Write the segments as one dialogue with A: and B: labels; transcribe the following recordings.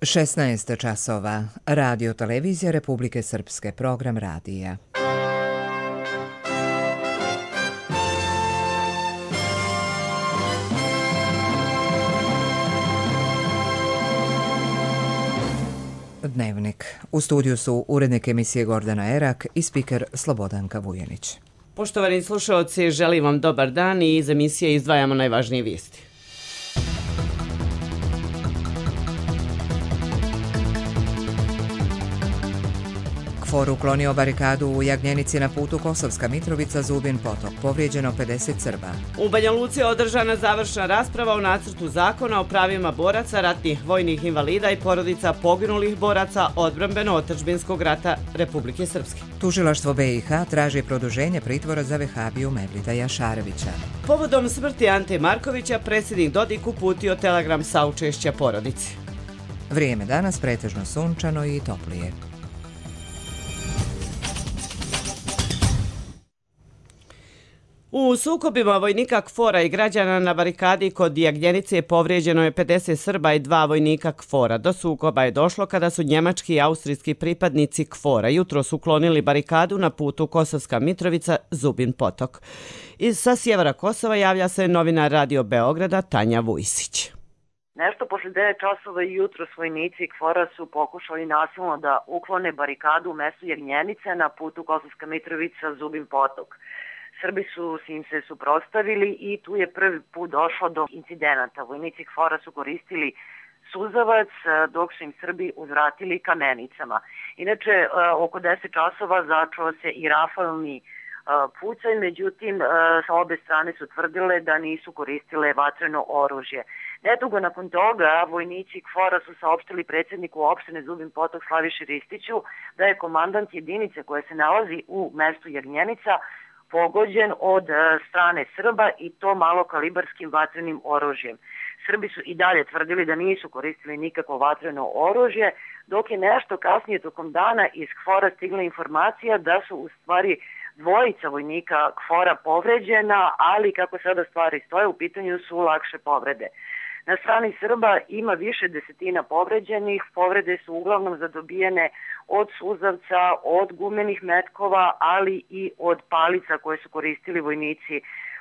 A: 16 časova. Radio Televizija Republike Srpske. Program radija. Dnevnik. U studiju su urednik emisije Gordana Erak i spiker Slobodanka Vujanić.
B: Poštovani slušalci, želim vam dobar dan i iz emisije izdvajamo najvažnije vijesti.
A: KFOR uklonio barikadu u Jagnjenici na putu Kosovska Mitrovica Zubin Potok. Povrijeđeno 50 Srba.
B: U Banja Luci je održana završna rasprava o nacrtu zakona o pravima boraca, ratnih vojnih invalida i porodica poginulih boraca odbrambeno-otadžbinskog rata Republike Srpske.
A: Tužilaštvo BiH traži produženje pritvora za vehabiju Mevlida Jašarevića.
B: Povodom smrti Ante Markovića, predsjednik Dodik uputio telegram saučešća porodici.
A: Vrijeme danas pretežno sunčano i toplije.
B: U sukobima vojnika KFOR-a i građana na barikadi kod Jagnjenice povrijeđeno je 50 Srba i 2 vojnika KFOR-a. Do sukoba je došlo kada su njemački i austrijski pripadnici KFOR-a jutros uklonili barikadu na putu Kosovska Mitrovica Zubin Potok. Sa sjevera Kosova javlja se novinar Radio Beograda Tanja Vujsić.
C: Nešto posle 9 časova jutros vojnici KFOR-a su pokušali nasilno da uklone barikadu u mestu Jagnjenice na putu Kosovska Mitrovica Zubin Potok. Srbi su im se suprotstavili i tu je prvi put došlo do incidenata. Vojnici KFOR-a su koristili suzavac dok su im Srbi uzvratili kamenicama. Inače, oko 10 časova začeo se i rafalni pucanj, međutim, sa obe strane su tvrdile da nisu koristile vatreno oružje. Nedugo nakon toga, vojnici KFOR-a su saopštili predsjedniku opštine Zubin Potok Slaviši Ristiću da je komandant jedinice koja se nalazi u mestu Jagnjenica pogođen od strane Srba i to malokalibarskim vatrenim oružjem. Srbi su i dalje tvrdili da nisu koristili nikakvo vatreno oružje, dok je nešto kasnije tokom dana iz KFOR-a stigla informacija da su u stvari dvojica vojnika KFOR-a povređena, ali kako sada stvari stoje, u pitanju su lakše povrede. Na strani Srba ima više desetina povređenih, povrede su uglavnom zadobijene od suzavca, od gumenih metkova, ali i od palica koje su koristili vojnici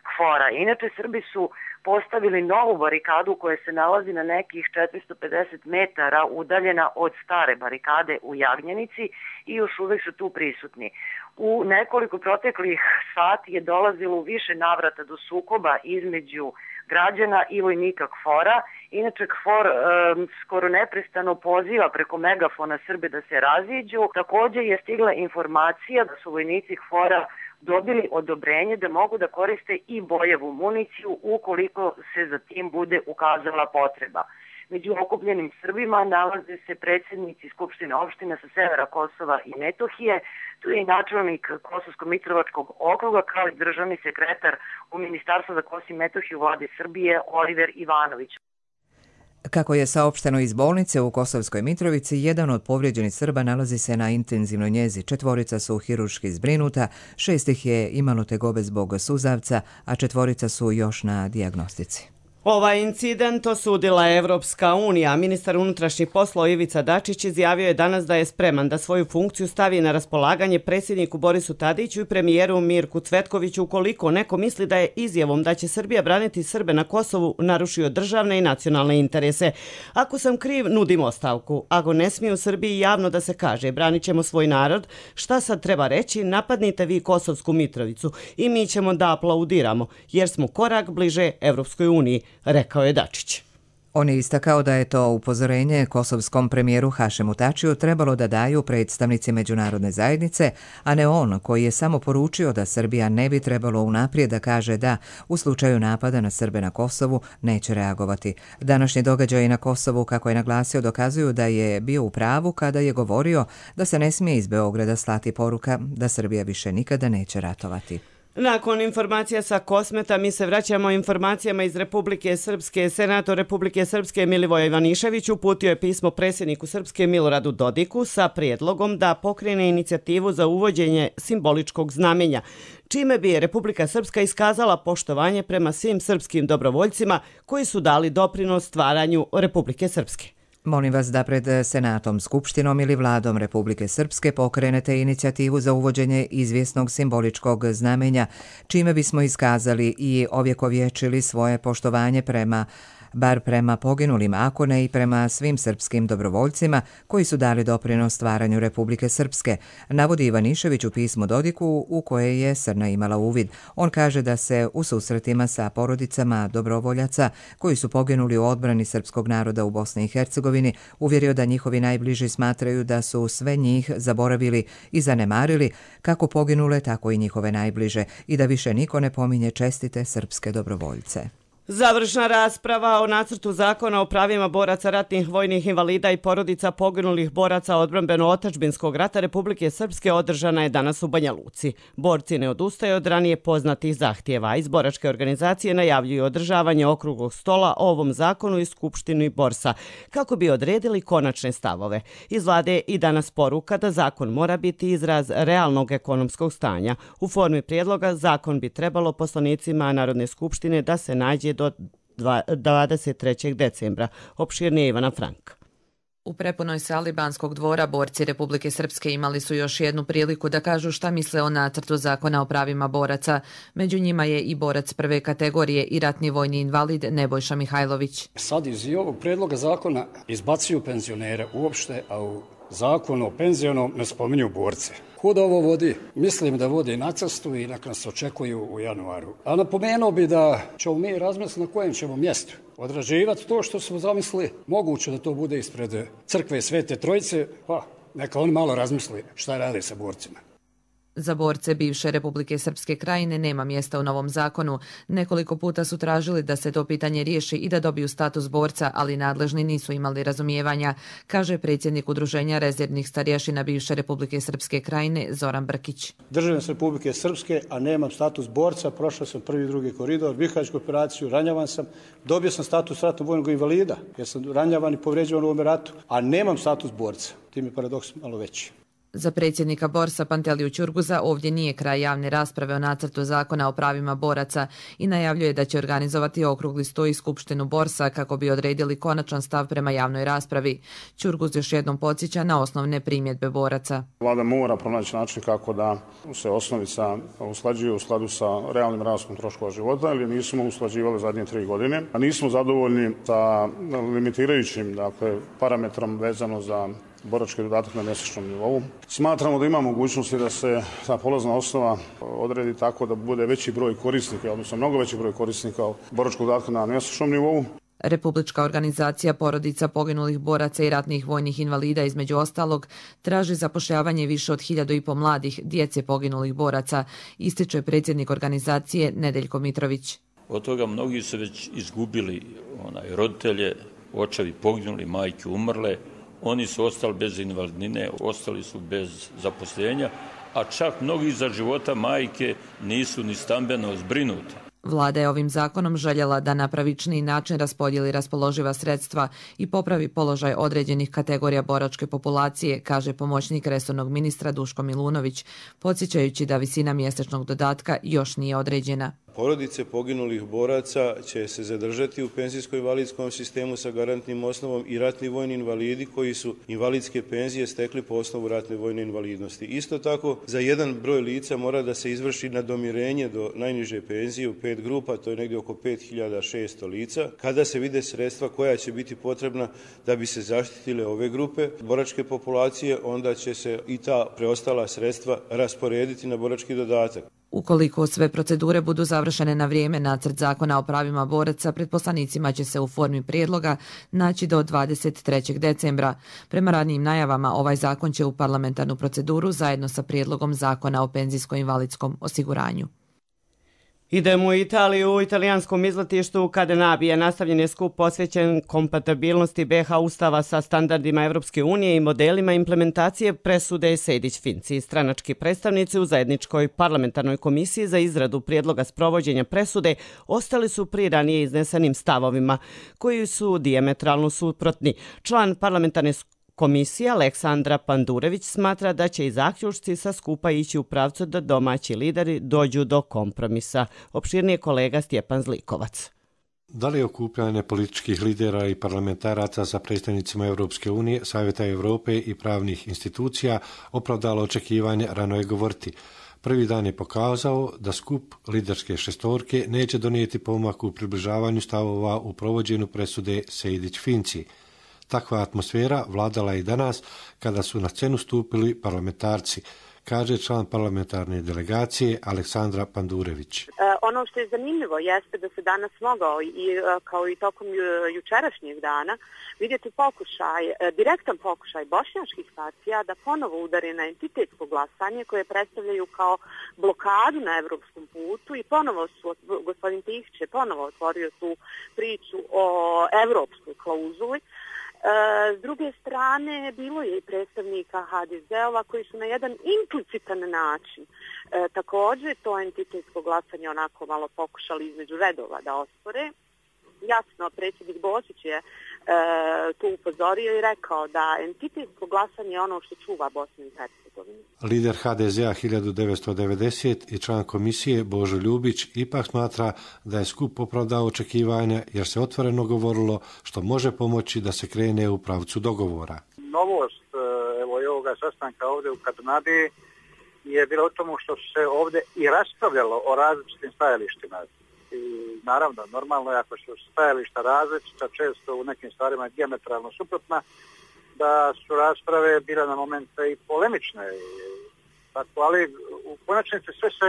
C: KFOR-a. Inače, Srbi su postavili novu barikadu koja se nalazi na nekih 450 metara udaljena od stare barikade u Jagnjenici i još uvek su tu prisutni. U nekoliko proteklih sati je dolazilo u više navrata do sukoba između građana i vojnika KFOR-a. Inače, KFOR skoro neprestano poziva preko megafona Srbe da se raziđu. Također je stigla informacija da su vojnici KFOR-a dobili odobrenje da mogu da koriste i bojevu municiju ukoliko se za tim bude ukazala potreba. Među okupljenim Srbima nalaze se predsjednici Skupštine opština sa severa Kosova i Metohije, tu je i načelnik Kosovsko-Mitrovačkog okruga kao i državni sekretar u Ministarstvu za Kosovo i Metohiju Vlade Srbije Oliver Ivanović.
A: Kako je saopšteno iz bolnice u Kosovskoj Mitrovici, jedan od povrijeđenih Srba nalazi se na intenzivnoj njezi. 4 su hirurški zbrinuta, 6 ih je imalo tegobe zbog suzavca, a 4 su još na dijagnostici.
B: Ovaj incident osudila je Evropska unija. Ministar unutrašnjih poslova Ivica Dačić izjavio je danas da je spreman da svoju funkciju stavi na raspolaganje predsjedniku Borisu Tadiću i premijeru Mirku Cvetkoviću ukoliko neko misli da je izjavom da će Srbija braniti Srbe na Kosovu narušio državne i nacionalne interese. Ako sam kriv, nudim ostavku. Ako ne smije u Srbiji javno da se kaže branit ćemo svoj narod, šta sad treba reći? Napadnite vi Kosovsku Mitrovicu i mi ćemo da aplaudiramo jer smo korak bliže Evropskoj uniji, rekao je Dačić.
A: On je istakao da je to upozorenje kosovskom premijeru Hašemu Tačiju trebalo da daju predstavnici međunarodne zajednice, a ne on koji je samo poručio da Srbija ne bi trebalo unaprijed da kaže da u slučaju napada na Srbe na Kosovu neće reagovati. Današnji događaji na Kosovu, kako je naglasio, dokazuju da je bio u pravu kada je govorio da se ne smije iz Beograda slati poruka da Srbija više nikada neće ratovati.
B: Nakon informacija sa Kosmeta, mi se vraćamo informacijama iz Republike Srpske. Senator Republike Srpske Milivoje Ivanišević uputio je pismo predsjedniku Srpske Miloradu Dodiku sa prijedlogom da pokrene inicijativu za uvođenje simboličkog znamenja, čime bi Republika Srpska iskazala poštovanje prema svim srpskim dobrovoljcima koji su dali doprinos stvaranju Republike Srpske.
A: Molim vas da pred Senatom, Skupštinom ili Vladom Republike Srpske pokrenete inicijativu za uvođenje izvjesnog simboličkog znamenja, čime bismo iskazali i ovjekovječili svoje poštovanje bar prema poginulim, ako ne i prema svim srpskim dobrovoljcima koji su dali doprinos stvaranju Republike Srpske, navodi Ivanišević u pismu Dodiku u koje je Srna imala uvid. On kaže da se u susretima sa porodicama dobrovoljaca koji su poginuli u odbrani srpskog naroda u Bosni i Hercegovini uvjerio da njihovi najbliži smatraju da su sve njih zaboravili i zanemarili, kako poginule, tako i njihove najbliže, i da više niko ne pominje čestite srpske dobrovoljce.
B: Završna rasprava o nacrtu zakona o pravima boraca, ratnih vojnih invalida i porodica poginulih boraca odbrambeno-otačbinskog rata Republike Srpske održana je danas u Banja Luci. Borci ne odustaju od ranije poznatih zahtjeva. Iz boračke organizacije najavljuju održavanje okruglog stola o ovom zakonu i Skupštini Borsa, kako bi odredili konačne stavove. Iz vlade i danas poruka da zakon mora biti izraz realnog ekonomskog stanja. U formi prijedloga zakon bi trebalo poslanicima Narodne skupštine da se nađe do 23. decembra. Opširnije Ivana Frank.
D: U prepunoj sali Banskog dvora borci Republike Srpske imali su još jednu priliku da kažu šta misle o nacrtu zakona o pravima boraca. Među njima je i borac prve kategorije i ratni vojni invalid Nebojša Mihajlović.
E: Sad iz ovog predloga zakona izbacuju penzionere uopšte, a u zakonu o penzionom ne spominju borce. Kud ovo vodi? Mislim da vodi na cestu i nek nas očekuju u januaru. A napomenuo bi da ćemo mi razmisliti na kojem ćemo mjestu odrađivati to što smo zamislili. Moguće da to bude ispred crkve Svete Trojice, pa neka oni malo razmisli šta rade sa borcima.
D: Za borce bivše Republike Srpske krajine nema mjesta u novom zakonu. Nekoliko puta su tražili da se to pitanje riješi i da dobiju status borca, ali nadležni nisu imali razumijevanja, kaže predsjednik Udruženja rezervnih starješina bivše Republike Srpske krajine Zoran Brkić.
F: Državljanin sam Republike Srpske, a nemam status borca, prošao sam prvi i drugi koridor, Bihaćku operaciju, ranjavan sam, dobio sam status ratnog vojnog invalida, jer sam ranjavan i povređivan u ovom ratu, a nemam status borca. Tim je paradoks malo veći.
D: Za predsjednika Borsa Panteliju Ćurguza ovdje nije kraj javne rasprave o nacrtu zakona o pravima boraca i najavljuje da će organizovati okrugli stol i Skupštinu Borsa kako bi odredili konačan stav prema javnoj raspravi. Ćurguz još jednom podsjeća na osnovne primjedbe boraca.
G: Vlada mora pronaći način kako da se osnovica usklađuje u skladu sa realnim rastom troškova života, jer nismo usklađivali zadnje 3 godine, a nismo zadovoljni sa limitirajućim parametrom vezano za borački dodatak na mjesečnom nivou. Smatramo da ima mogućnosti da se ta polazna osnova odredi tako da bude veći broj korisnika, odnosno mnogo veći broj korisnika boračkog dodatka na mjesečnom nivou.
D: Republička organizacija porodica poginulih boraca i ratnih vojnih invalida između ostalog traži zapošljavanje više od 1.500 mladih djece poginulih boraca, ističe predsjednik organizacije Nedeljko Mitrović.
H: Od toga mnogi su već izgubili roditelje, očevi poginuli, majke umrle. Oni su ostali bez invalidnine, ostali su bez zaposlenja, a čak mnogi za života majke nisu ni stambeno zbrinuti.
D: Vlada je ovim zakonom željela da na pravičniji način raspodijeli raspoloživa sredstva i popravi položaj određenih kategorija boračke populacije, kaže pomoćnik resornog ministra Duško Milunović, podsjećajući da visina mjesečnog dodatka još nije određena.
I: Porodice poginulih boraca će se zadržati u penzijsko-invalidskom sistemu sa garantnim osnovom i ratni vojni invalidi koji su invalidske penzije stekli po osnovu ratne vojne invalidnosti. Isto tako, za jedan broj lica mora da se izvrši nadomirenje do najniže penzije u 5 grupa, to je negdje oko 5600 lica, kada se vide sredstva koja će biti potrebna da bi se zaštitile ove grupe boračke populacije, onda će se i ta preostala sredstva rasporediti na borački dodatak.
D: Ukoliko sve procedure budu završene na vrijeme, nacrt zakona o pravima boraca pred poslanicima će se u formi prijedloga naći do 23. decembra. Prema ranijim najavama, ovaj zakon će u parlamentarnu proceduru zajedno sa prijedlogom zakona o penzijsko-invalidskom osiguranju.
B: Idemo u Italiju. U italijanskom izletištu Cadenabije nastavljen je skup posvećen kompatibilnosti BiH Ustava sa standardima Evropske unije i modelima implementacije presude Sejdić-Finci. Stranački predstavnici u zajedničkoj parlamentarnoj komisiji za izradu prijedloga sprovođenja presude ostali su pri ranije iznesenim stavovima, koji su dijametralno suprotni. Član parlamentarne komisija Aleksandra Pandurević smatra da će i zaključci sa skupa ići u pravcu da domaći lideri dođu do kompromisa. Opširnije kolega Stjepan Zlikovac.
J: Da li je okupljanje političkih lidera i parlamentaraca sa predstavnicima Europske unije, Savjeta Europe i pravnih institucija opravdalo očekivanje, rano je govoriti. Prvi dan je pokazao da skup liderske šestorke neće donijeti pomak u približavanju stavova u provođenju presude Sejdić-Finci. Takva atmosfera vladala i danas kada su na scenu stupili parlamentarci, kaže član parlamentarne delegacije Aleksandra Pandurević.
K: Ono što je zanimljivo jeste da se danas mogao kao i tokom jučerašnjeg dana vidjeti direktan pokušaj bošnjačkih partija da ponovo udari na entitetsko glasanje koje predstavljaju kao blokadu na evropskom putu i ponovo gospodin Tihić je ponovo otvorio tu priču o evropskoj klauzuli. S druge strane, bilo je i predstavnika HDZ-ova koji su na jedan implicitan način također to entitetsko glasanje onako malo pokušali između redova da ospore. Jasno, predsjednik Božić je tu upozorio i rekao da entitetsko glasanje je ono što čuva Bosnu i Hercegovinu.
J: Lider HDZ-a 1990 i član komisije Božo Ljubić ipak smatra da je skup opravdao očekivanja jer se otvoreno govorilo što može pomoći da se krene u pravcu dogovora.
L: Novost i ovoga sastanka ovdje u Kadunadi je bilo u tomu što se ovdje i raspravljalo o različitim stajalištima. I naravno, normalno je ako su stajališta različita, često u nekim stvarima dijametralno suprotna, da su rasprave bile na momente i polemične. Tako, ali u konačnici sve se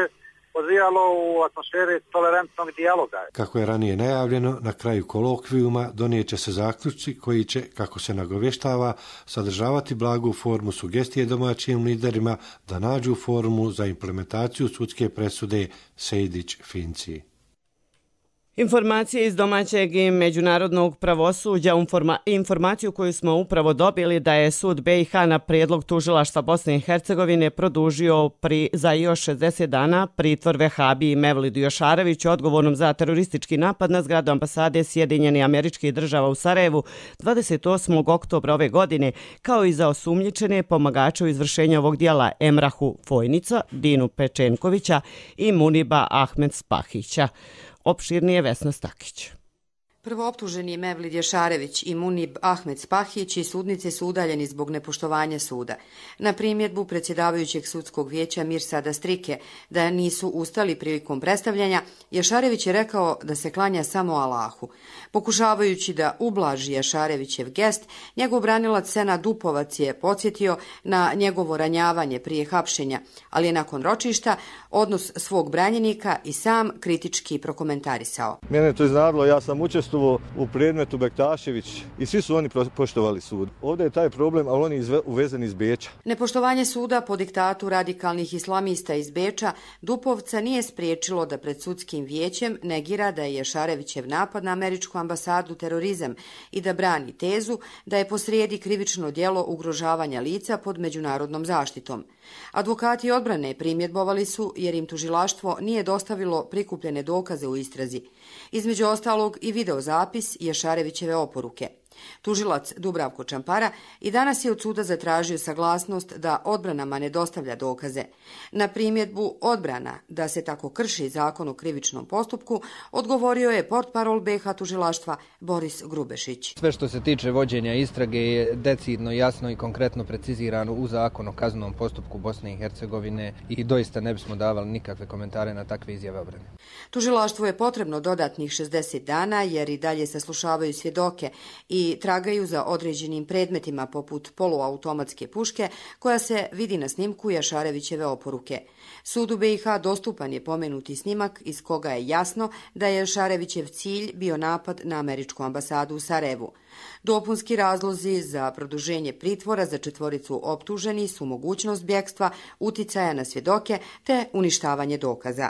L: odvijalo u atmosferi tolerantnog dijaloga.
J: Kako je ranije najavljeno, na kraju kolokvijuma donijet će se zaključci koji će, kako se nagovještava, sadržavati blagu formu sugestije domaćim liderima da nađu formu za implementaciju sudske presude Sejdić-Finci.
B: Informacije iz domaćeg i međunarodnog pravosuđa, informaciju koju smo upravo dobili da je sud BiH na prijedlog tužilaštva Bosne i Hercegovine produžio za još 60 dana pritvor Vehabiji Mevlidu Jošareviću odgovornom za teroristički napad na zgradu ambasade Sjedinjenih Američkih Država u Sarajevu 28. oktobra ove godine, kao i za osumnjičene pomagače u izvršenju ovog dijela Emrahu Fojnica, Dinu Pečenkovića i Muniba Ahmed Spahića. Opširnije Vesna Stakić.
M: Prvooptuženi Mevlid Jošarević i Munib Ahmed Spahić iz sudnice su udaljeni zbog nepoštovanja suda. Na primjedbu predsjedavajućeg sudskog vijeća Mirsada Strike da nisu ustali prilikom predstavljanja, Jošarević je rekao da se klanja samo Allahu. Pokušavajući da ublaži Jošarevićev gest, njegov branilac Senad Dupovac je podsjetio na njegovo ranjavanje prije hapšenja, ali je nakon ročišta odnos svog branjenika i sam kritički prokomentarisao.
N: Mene je to iznadilo, ja sam učestvovao u predmetu Bektašević i svi su oni poštovali sud. Ovdje je taj problem, ali on je uvezen iz Beča.
M: Nepoštovanje suda po diktatu radikalnih islamista iz Beča Dupovca nije spriječilo da pred sudskim vijećem negira da je Jošarevićev napad na američku ambasadu terorizam i da brani tezu da je posrijedi krivično djelo ugrožavanja lica pod međunarodnom zaštitom. Advokati odbrane primjedbovali su jer im tužilaštvo nije dostavilo prikupljene dokaze u istrazi. Između ostalog i videozapis Jošarevićeve oporuke. Tužilac Dubravko Čampara i danas je od suda zatražio saglasnost da odbranama ne dostavlja dokaze. Na primjedbu odbrana da se tako krši zakon o krivičnom postupku odgovorio je portparol BiH tužilaštva Boris Grubešić.
O: Sve što se tiče vođenja istrage je decidno, jasno i konkretno precizirano u zakonu o kaznenom postupku Bosne i Hercegovine i doista ne bismo davali nikakve komentare na takve izjave obrane.
M: Tužilaštvu je potrebno dodatnih 60 dana jer i dalje saslušavaju svjedoke i tragaju za određenim predmetima poput poluautomatske puške koja se vidi na snimku Jošarevićeve oporuke. Sudu BiH dostupan je pomenuti snimak iz koga je jasno da je Jošarevićev cilj bio napad na američku ambasadu u Sarajevu. Dopunski razlozi za produženje pritvora za četvoricu optuženi su mogućnost bjegstva, uticaja na svjedoke te uništavanje dokaza.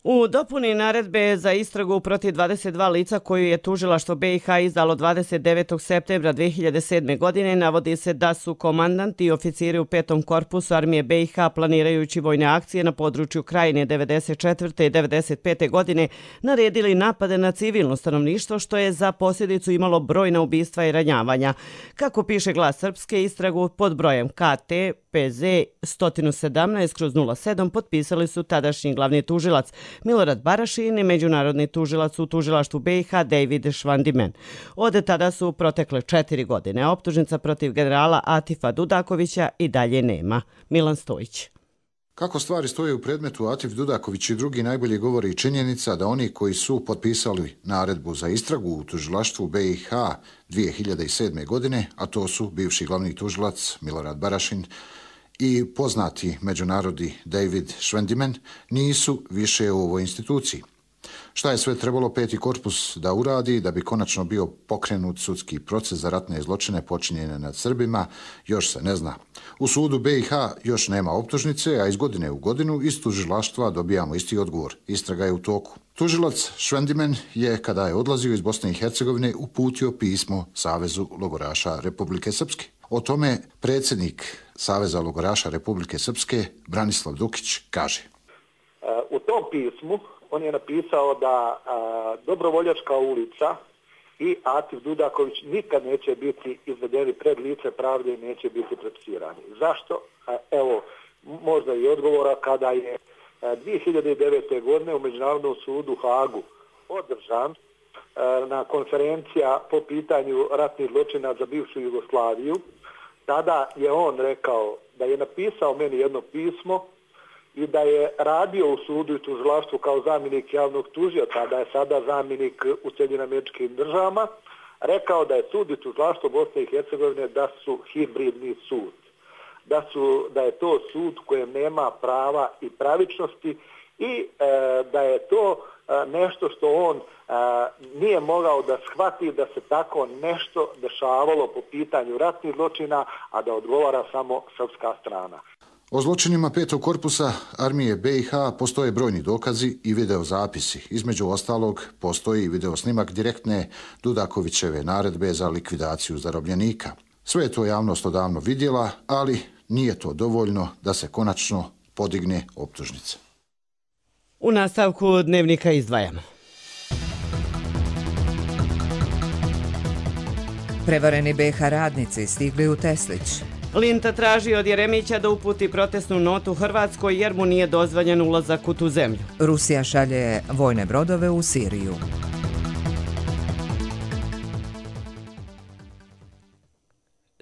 B: U dopuni naredbe za istragu protiv 22 lica koju je tužilaštvo BiH izdalo 29. septembra 2007. godine navodi se da su komandanti i oficiri u 5. korpusu armije BiH planirajući vojne akcije na području Krajine 94. i 95. godine naredili napade na civilno stanovništvo što je za posljedicu imalo brojna ubistva i ranjavanja. Kako piše Glas Srpske, istragu pod brojem KT PZ 117/07 potpisali su tadašnji glavni tužilac Milorad Barašin i međunarodni tužilac u tužilaštvu BiH David Švandimen. Od tada su protekle 4 godine. Optužnica protiv generala Atifa Dudakovića i dalje nema. Milan Stojić.
P: Kako stvari stoje u predmetu Atif Dudaković i drugi najbolje govori i činjenica da oni koji su potpisali naredbu za istragu u tužilaštvu BiH 2007. godine, a to su bivši glavni tužilac Milorad Barašin i poznati međunarodni David Švandimen, nisu više u ovoj instituciji. Šta je sve trebalo peti korpus da uradi da bi konačno bio pokrenut sudski proces za ratne zločine počinjene nad Srbima, još se ne zna. U sudu BiH još nema optužnice, a iz godine u godinu iz tužilaštva dobijamo isti odgovor. Istraga je u toku. Tužilac Švandimen je, kada je odlazio iz Bosne i Hercegovine, uputio pismo Savezu logoraša Republike Srpske. O tome predsjednik Saveza logoraša Republike Srpske, Branislav Dukić, kaže.
L: U tom pismu on je napisao da Dobrovoljačka ulica i Atif Dudaković nikad neće biti izvedeni pred lice pravde i neće biti procesirani. Zašto? Evo, možda i odgovora kada je 2009. godine u Međunarodnom sudu u Hagu održan na konferencija po pitanju ratnih zločina za bivšu Jugoslaviju. Tada je on rekao da je napisao meni jedno pismo i da je radio u sudu i tužilaštvu kao zamjenik javnog tužioca, da je sada zamjenik u SAD-u, rekao da je sud i tužilaštvo Bosne i Hercegovine da su hibridni sud. Da je to sud kojem nema prava i pravičnosti i da je to nešto što on nije mogao da shvati da se tako nešto dešavalo po pitanju ratnih zločina, a da odgovara samo srpska strana.
P: O zločinima petog korpusa armije BiH postoje brojni dokazi i videozapisi. Između ostalog, postoji i videosnimak direktne Dudakovićeve naredbe za likvidaciju zarobljenika. Sve je to javnost odavno vidjela, ali nije to dovoljno da se konačno podigne optužnica.
B: U nastavku dnevnika izdvajamo.
A: Prevareni BiH radnici stigli u Teslić.
B: Linta traži od Jeremića da uputi protestnu notu Hrvatskoj jer mu nije dozvoljen ulazak u tu zemlju.
A: Rusija šalje vojne brodove u Siriju.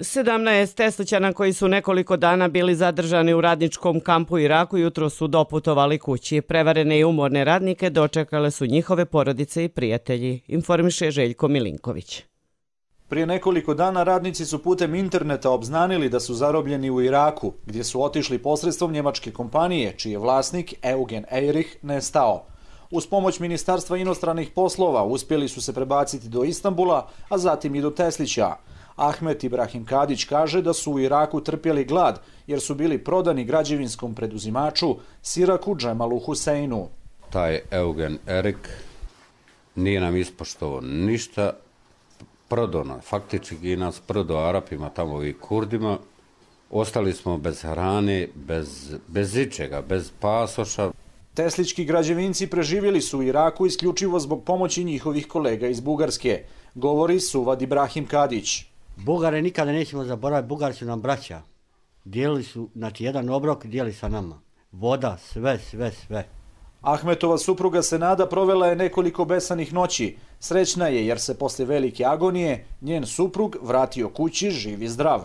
B: Sedamnaest Teslićana koji su nekoliko dana bili zadržani u radničkom kampu u Iraku jutro su doputovali kući. Prevarene i umorne radnike dočekale su njihove porodice i prijatelji, informiše Željko Milinković.
Q: Prije nekoliko dana radnici su putem interneta obznanili da su zarobljeni u Iraku, gdje su otišli posredstvom njemačke kompanije, čiji je vlasnik Eugen Eirich nestao. Uz pomoć Ministarstva inostranih poslova uspjeli su se prebaciti do Istanbula, a zatim i do Teslića. Ahmet Ibrahim Kadić kaže da su u Iraku trpjeli glad, jer su bili prodani građevinskom preduzimaču Siraku Džemalu Huseinu.
R: Taj Eugen Eirich nije nam ispoštovao ništa, prodao nas, faktički nas prodao Arapima, tamo i Kurdima. Ostali smo bez hrane, bez ičega, bez pasoša.
Q: Teslički građevinci preživjeli su u Iraku isključivo zbog pomoći njihovih kolega iz Bugarske, govori Suvad Ibrahim Kadić.
S: Bugare nikada nećemo zaboraviti, Bugari su nam braća. Dijelili su, znači jedan obrok dijeli sa nama. Voda, sve.
Q: Ahmetova supruga Senada provela je nekoliko besanih noći. Srećna je jer se poslije velike agonije njen suprug vratio kući živ i zdrav.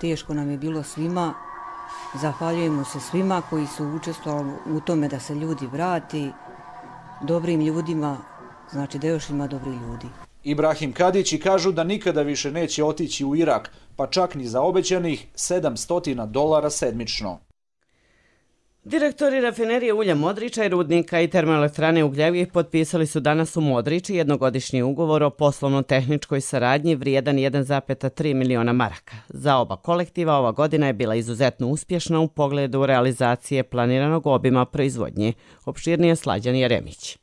T: Teško nam je bilo svima. Zahvaljujemo se svima koji su učestvovali u tome da se ljudi vrati dobrim ljudima, znači da još ima dobri ljudi.
Q: Ibrahim Kadići kažu da nikada više neće otići u Irak, pa čak ni za obećanih $700 sedmično.
B: Direktori rafinerije ulja Modriča i rudnika i termoelektrane Ugljevik potpisali su danas u Modriči jednogodišnji ugovor o poslovno-tehničkoj saradnji vrijedan 1,3 miliona maraka. Za oba kolektiva ova godina je bila izuzetno uspješna u pogledu realizacije planiranog obima proizvodnje. Opširnije Slađan Jeremić.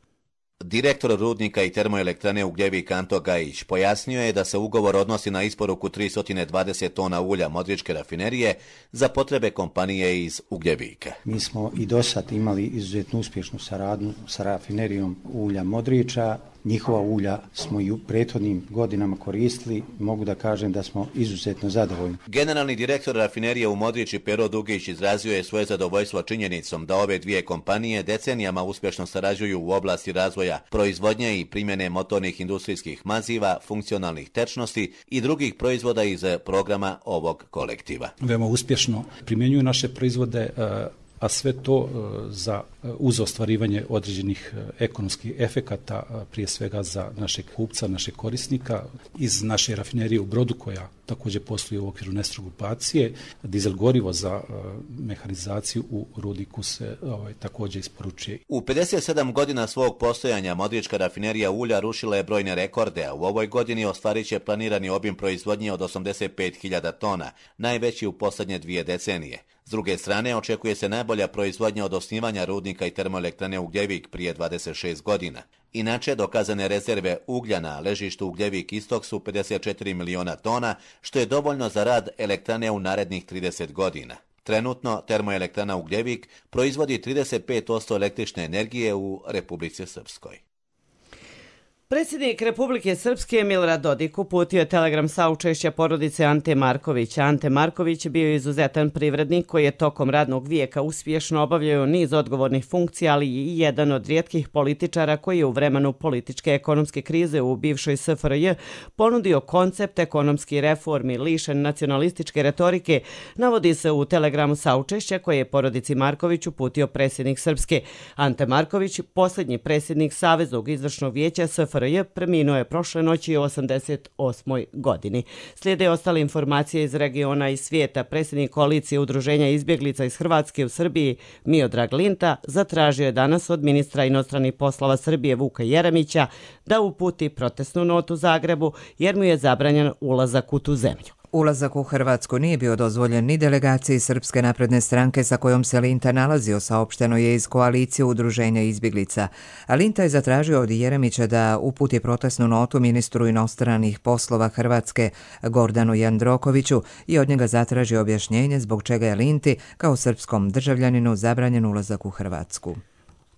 U: Direktor rudnika i termoelektrane Ugljevik Anto Gajić pojasnio je da se ugovor odnosi na isporuku 320 tona ulja Modričke rafinerije za potrebe kompanije iz Ugljevika.
V: Mi smo i do sad imali izuzetno uspješnu saradnju sa rafinerijom ulja Modriča.
C: njihova ulja smo i u prethodnim godinama koristili. Mogu da kažem da smo izuzetno zadovoljni.
U: Generalni direktor rafinerije u Modriči Pero Dugić izrazio je svoje zadovoljstvo činjenicom da ove dvije kompanije decenijama uspješno sarađuju u oblasti razvoja proizvodnje i primjene motornih industrijskih maziva, funkcionalnih tečnosti i drugih proizvoda iz programa ovog kolektiva.
V: Veoma uspješno primjenjuju naše proizvode, a sve to uz ostvarivanje određenih ekonomskih efekata, prije svega za našeg kupca, našeg korisnika. Iz naše rafinerije u Brodu, koja također posluje u okviru Nestro grupacije, dizel gorivo za mehanizaciju u rudniku se također isporučuje.
U: U 57 godina svog postojanja Modrička rafinerija ulja rušila je brojne rekorde, a u ovoj godini ostvarit će planirani obim proizvodnje od 85.000 tona, najveći u posljednje 2 decenije. S druge strane, očekuje se najbolja proizvodnja od osnivanja rudnika i termoelektrane Ugljevik prije 26 godina. Inače, dokazane rezerve uglja na ležištu Ugljevik Istok su 54 miliona tona, što je dovoljno za rad elektrane u narednih 30 godina. Trenutno, termoelektrana Ugljevik proizvodi 35% električne energije u Republici Srpskoj.
B: Predsjednik Republike Srpske Milorad Dodik uputio je telegram saučešća porodice Ante Markovića. Ante Marković bio je izuzetan privrednik koji je tokom radnog vijeka uspješno obavljao niz odgovornih funkcija, ali i jedan od rijetkih političara koji je u vremenu političke ekonomske krize u bivšoj SFRJ ponudio koncept ekonomskih reformi lišen nacionalističke retorike, navodi se u telegramu saučešća koje je porodici Marković uputio predsjednik Srpske. Ante Marković, posljednji predsjednik Saveznog izvršnog vijeća SFRJ, preminuo je prošle noći u 88. godini. Slijede ostale informacije iz regiona i svijeta. Predsjednik koalicije udruženja izbjeglica iz Hrvatske u Srbiji Miodrag Linta zatražio je danas od ministra inostranih poslova Srbije Vuka Jeremića da uputi protestnu notu Zagrebu jer mu je zabranjen ulazak u tu zemlju.
A: Ulazak u Hrvatsku nije bio dozvoljen ni delegaciji Srpske napredne stranke sa kojom se Linta nalazio, saopšteno je iz koalicije udruženja izbjeglica. A Linta je zatražio od Jeremića da uputi protestnu notu ministru inostranih poslova Hrvatske Gordanu Jandrokoviću i od njega zatraži objašnjenje zbog čega je Linti kao srpskom državljaninu zabranjen ulazak u Hrvatsku.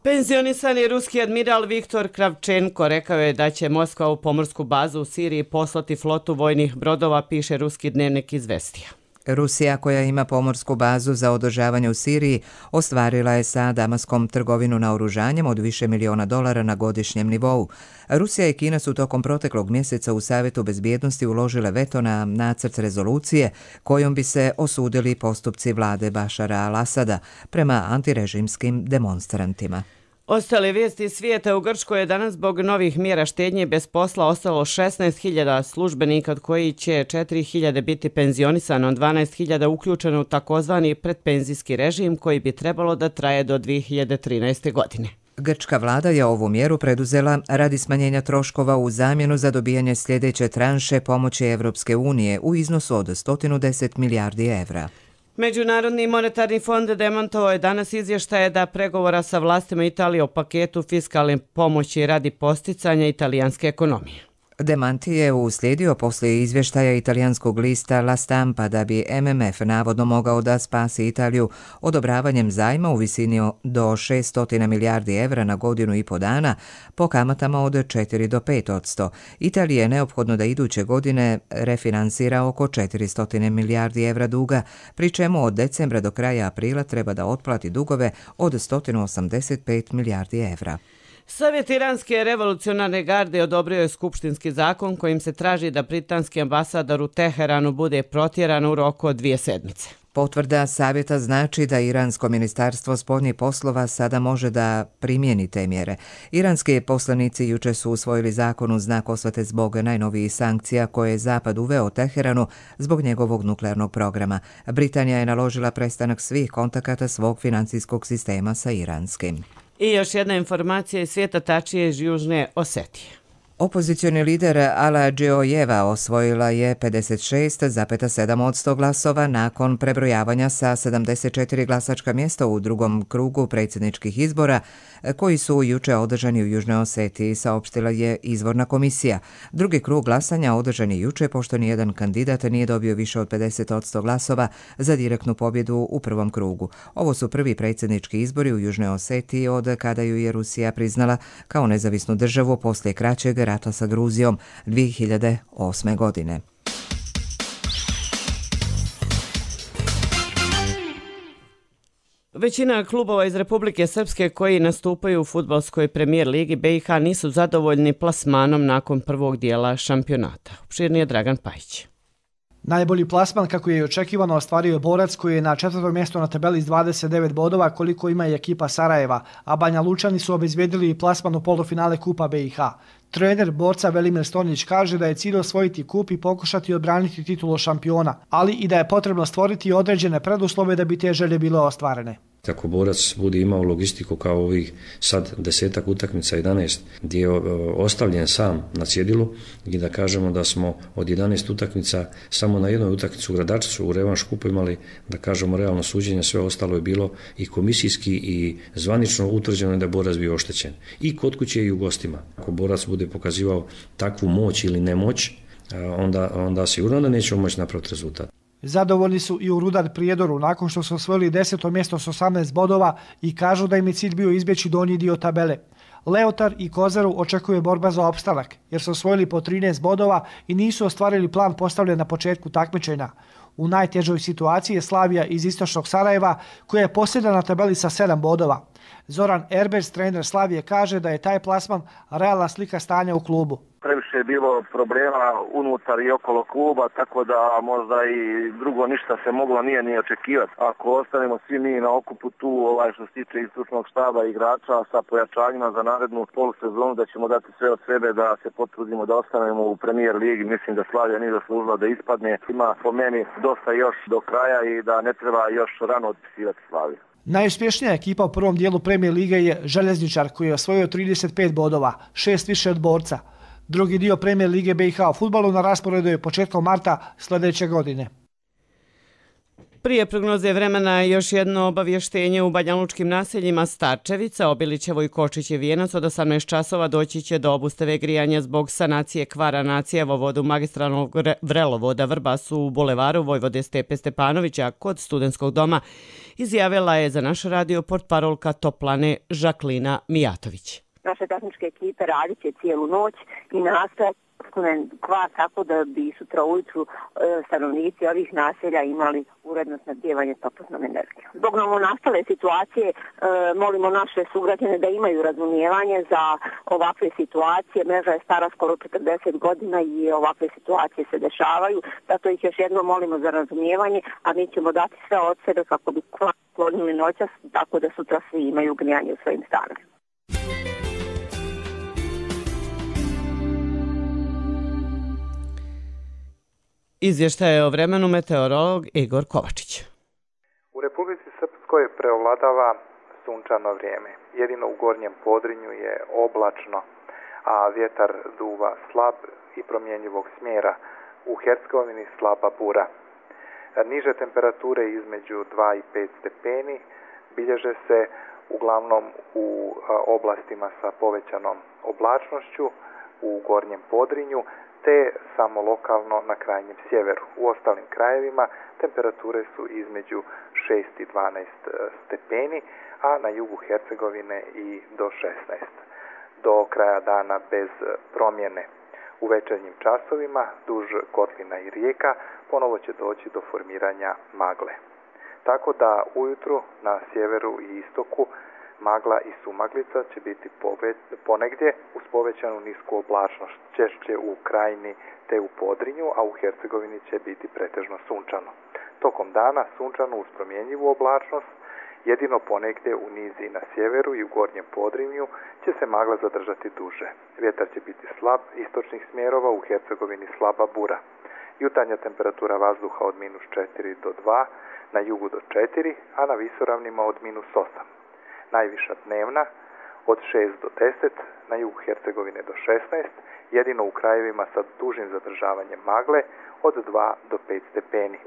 B: Penzionisani ruski admiral Viktor Kravčenko rekao je da će Moskva u pomorsku bazu u Siriji poslati flotu vojnih brodova, piše ruski dnevnik Izvestija.
A: Rusija, koja ima pomorsku bazu za održavanje u Siriji, ostvarila je sa Damaskom trgovinu naoružanjem od više miliona dolara na godišnjem nivou. Rusija i Kina su tokom proteklog mjeseca u Savjetu bezbjednosti uložile veto na nacrt rezolucije kojom bi se osudili postupci vlade Bašara al-Asada prema antirežimskim demonstrantima.
B: Ostale vijesti svijeta: u Grčkoj je danas zbog novih mjera štednje bez posla ostalo 16.000 službenika, od koji će 4.000 biti penzionisano, 12.000 uključeno u takozvani predpenzijski režim koji bi trebalo da traje do 2013. godine.
A: Grčka vlada je ovu mjeru preduzela radi smanjenja troškova u zamjenu za dobijanje sljedeće tranše pomoći Evropske unije u iznosu od 110 milijardi evra.
B: Međunarodni monetarni fond demantovao je danas izvještaje da pregovora sa vlastima Italije o paketu fiskalne pomoći radi posticanja italijanske ekonomije.
A: Demanti je uslijedio poslije izvještaja italijanskog lista La Stampa da bi MMF navodno mogao da spasi Italiju odobravanjem zajma u visini do 600 milijardi evra na godinu i po dana po kamatama od 4 do 5%. Italiji je neophodno da iduće godine refinansira oko 400 milijardi evra duga, pri čemu od decembra do kraja aprila treba da otplati dugove od 185 milijardi evra.
B: Savjet Iranske revolucionarne garde odobrio je skupštinski zakon kojim se traži da britanski ambasador u Teheranu bude protjeran u roku od 2 sedmice.
A: Potvrda savjeta znači da Iransko ministarstvo spoljnih poslova sada može da primijeni te mjere. Iranski poslanici juče su usvojili zakon u znak osvete zbog najnovijih sankcija koje je Zapad uveo Teheranu zbog njegovog nuklearnog programa. Britanija je naložila prestanak svih kontakata svog financijskog sistema sa iranskim.
B: I još jedna informacija iz svijeta, tačnije iz Južne Osetije.
A: Opozicioni lider Ala Džijojeva osvojila je 56,7% glasova nakon prebrojavanja sa 74 glasačka mjesta u drugom krugu predsjedničkih izbora koji su juče održani u Južnoj Osetiji, saopštila je izvorna komisija. Drugi krug glasanja održan je juče pošto nijedan kandidat nije dobio više od 50% glasova za direktnu pobjedu u prvom krugu. Ovo su prvi predsjednički izbori u Južnoj Osetiji od kada ju je Rusija priznala kao nezavisnu državu poslije kraćeg rata sa Gruzijom 2008. godine.
B: Većina klubova iz Republike Srpske koji nastupaju u fudbalskoj premijer ligi BiH nisu zadovoljni plasmanom nakon prvog dijela šampionata. Opširnije Dragan Pajić.
E: Najbolji plasman, kako je i očekivano, ostvario je Borac koji je na 4. mjestu na tabeli s 29 bodova koliko ima i ekipa Sarajeva, a Banja Lučani su obezbjedili i plasman u polufinale Kupa BiH. Trener Borca Velimir Stonić kaže da je cilj osvojiti kup i pokušati odbraniti titulu šampiona, ali i da je potrebno stvoriti određene preduslove da bi te želje bile ostvarene.
F: Ako Borac bude imao logistiku kao ovih sad 10 utakmica, 11, gdje je ostavljen sam na cjedilu i da kažemo da smo od 11 utakmica samo na jednoj utakmicu u Gradačcu u revanš kupu imali, da kažemo, realno suđenje, sve ostalo je bilo i komisijski i zvanično utvrđeno da je Borac bio oštećen. I kod kuće i u gostima. Ako Borac bude pokazivao takvu moć ili nemoć, onda sigurno da nećemo moći napraviti rezultat.
E: Zadovoljni su i u Rudar Prijedoru nakon što su osvojili 10. mjesto s 18 bodova i kažu da im je cilj bio izbjeći donji dio tabele. Leotar i Kozaru očekuje borba za opstanak jer su osvojili po 13 bodova i nisu ostvarili plan postavljen na početku takmičenja. U najtežoj situaciji je Slavija iz istočnog Sarajeva koja je posljedna na tabeli sa 7 bodova. Zoran Erbers, trener Slavije, kaže da je taj plasman realna slika stanja u klubu.
W: Previše je bilo problema unutar i okolo kluba, tako da možda i drugo ništa se moglo nije ni očekivati. Ako ostanemo svi mi na okupu tu, što se tiče istočnog štaba igrača sa pojačanjima za narednu polusezonu, da ćemo dati sve od sebe da se potrudimo da ostanemo u premijer ligi. Mislim da Slavija nije zaslužila da ispadne. Ima po meni dosta još do kraja i da ne treba još rano otpisivati Slaviju.
E: Najuspješnija ekipa u prvom dijelu premijer lige je Željezničar koji je osvojio 35 bodova, 6 više od Borca. Drugi dio premijer lige BiH u fudbalu na rasporedu je početkom marta sljedeće godine.
B: Prije prognoze vremena još jedno obavještenje u banjalučkim naseljima Starčevica, Obilićevo i Kočiće Vijenac od 18 časova doći će do obustave grijanja zbog sanacije kvara na cjevovodu magistralnog vrelovoda Vrbasu u bulevaru Vojvode Stepe Stepanovića kod Studentskog doma, izjavila je za naš radio portparolka Toplane Žaklina Mijatović.
X: Naše tehničke ekipe radit će cijelu noć i nastoje kvar tako da bi sutra ujutru stanovnici ovih naselja imali uredno snabdijevanje toplotnom energijom. Zbog novonastale situacije molimo naše sugrađane da imaju razumijevanje za ovakve situacije. Mreža je stara skoro 40 godina i ovakve situacije se dešavaju. Zato ih još jednom molimo za razumijevanje, a mi ćemo dati sve od sebe kako bi kvar sklonili noćas tako da sutra svi imaju grijanje u svojim stanovima.
B: Izvještaje o vremenu meteorolog Igor Kovačić.
Y: U Republici Srpskoj preovladava sunčano vrijeme. Jedino u gornjem Podrinju je oblačno, a vjetar duva slab i promjenjivog smjera. U Hercegovini slaba bura. Niže temperature između 2 i 5 stepeni bilježe se uglavnom u oblastima sa povećanom oblačnošću u gornjem Podrinju, te samo lokalno na krajnjem sjeveru. U ostalim krajevima temperature su između 6 i 12 stepeni, a na jugu Hercegovine i do 16. Do kraja dana bez promjene. U večernjim časovima duž kotlina i rijeka ponovo će doći do formiranja magle. Tako da ujutru na sjeveru i istoku magla i sumaglica će biti ponegdje uz povećanu nisku oblačnost, češće u Krajini te u Podrinju, a u Hercegovini će biti pretežno sunčano. Tokom dana sunčano uz promjenjivu oblačnost, jedino ponegdje u nizi na sjeveru i u gornjem Podrinju će se magla zadržati duže. Vjetar će biti slab istočnih smjerova, u Hercegovini slaba bura. Jutarnja temperatura vazduha od -4 do 2, na jugu do 4, a na visoravnima od -8. Najviša dnevna od 6 do 10, na jugu Hercegovine do 16, jedino u krajevima sa dužim zadržavanjem magle od 2 do 5 stepeni.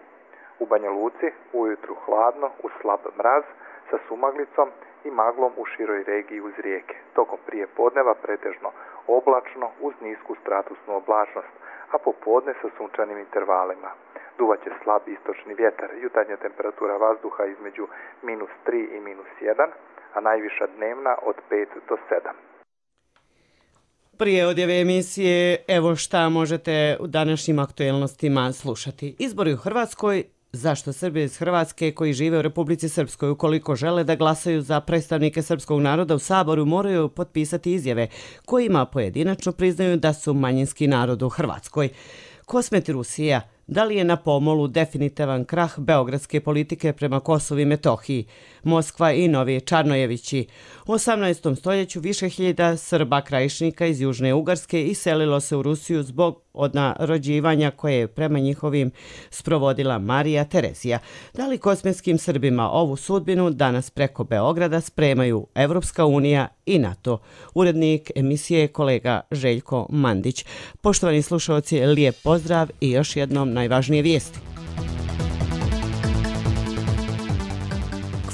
Y: U Banja Luci ujutru hladno uz slab mraz sa sumaglicom i maglom u široj regiji uz rijeke. Tokom prije podneva pretežno oblačno uz nisku stratusnu oblačnost, a popodne sa sunčanim intervalima. Duvaće slab istočni vjetar, jutarnja temperatura vazduha između -3 i -1, a najviša dnevna od 5 do 7.
B: Prije odjave emisije, evo šta možete u današnjim aktuelnostima slušati. Izbori u Hrvatskoj. Zašto Srbi iz Hrvatske koji žive u Republici Srpskoj, ukoliko žele da glasaju za predstavnike srpskog naroda u Saboru, moraju potpisati izjave kojima pojedinačno priznaju da su manjinski narod u Hrvatskoj. Kosmet Rusija, da li je na pomolu definitivan krah beogradske politike prema Kosovu i Metohiji? Moskva i Novi Čarnojevići. U 18. stoljeću više hiljada Srba krajišnika iz Južne Ugarske iselilo se u Rusiju zbog odnarođivanja koje je prema njihovim sprovodila Marija Terezija. Da li kosmetskim Srbima ovu sudbinu danas preko Beograda spremaju Evropska unija i NATO? Urednik emisije kolega Željko Mandić. Poštovani slušalci, lijep pozdrav i još jednom najvažnije vijesti.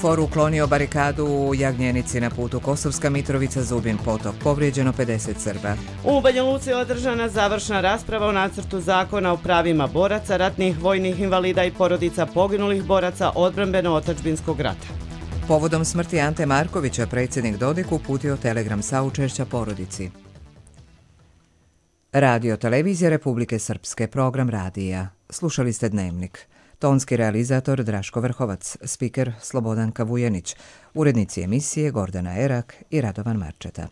A: KFOR uklonio barikadu u Jagnjenici na putu Kosovska Mitrovica-Zubin potok. Povrijeđeno 50 Srba.
B: U Banja Luci je održana završna rasprava o nacrtu zakona o pravima boraca, ratnih vojnih invalida i porodica poginulih boraca odbrambeno-otadžbinskog rata.
A: Povodom smrti Ante Markovića predsjednik Dodik uputio telegram saučešća porodici. Radio Televizija Republike Srpske, program radija. Slušali ste Dnevnik. Tonski realizator Draško Vrhovac, spiker Slobodanka Vujenić, urednici emisije Gordana Erak i Radovan Marčeta.